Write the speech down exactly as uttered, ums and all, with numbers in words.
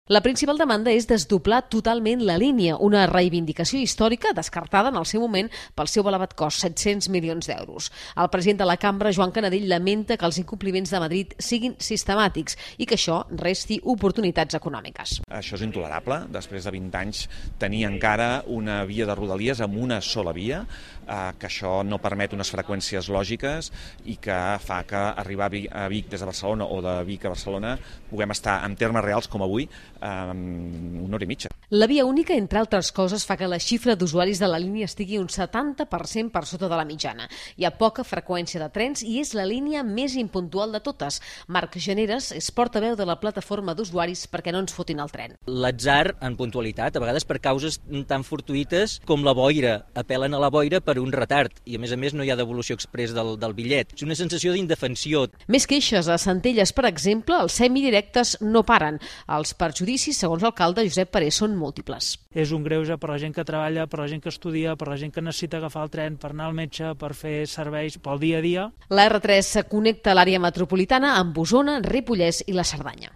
La principal demanda és desdoblar totalment la línia, una reivindicació històrica descartada en el seu moment pel seu elevat cost, set-cents milions d'euros. El president de la cambra, Joan Canadell, lamenta que els incompliments de Madrid siguin sistemàtics i que això resti oportunitats econòmiques. Això és intolerable, després de vint anys tenir encara una via de Rodalies amb una sola via, eh, que això no permet unes freqüències lògiques i que fa que arribar a Vic des de Barcelona o de Vic a Barcelona puguem estar en termes reals com avui en una hora i mitja. La via única, entre altres coses, fa que la xifra d'usuaris de la línia estigui un setanta per cent per sota de la mitjana. Hi ha poca freqüència de trens i és la línia més impuntual de totes. Marc Generes és portaveu de la plataforma d'usuaris perquè no ens fotin el tren. L'atzar en puntualitat, a vegades per causes tan fortuïtes com la boira. Apel·len a la boira per un retard i, a més a més, no hi ha devolució exprés del, del bitllet. És una sensació d'indefensió. Més queixes a Centelles, per exemple, els semidirectes no paren. Els perjudicis, segons l'alcalde Josep Parés, són múltiples. És un greuge per la gent que treballa, per la gent que estudia, per la gent que necessita agafar el tren per anar al metge, per fer serveis pel dia a dia. La erre tres connecta l'àrea metropolitana amb Osona, Ripollès i la Cerdanya.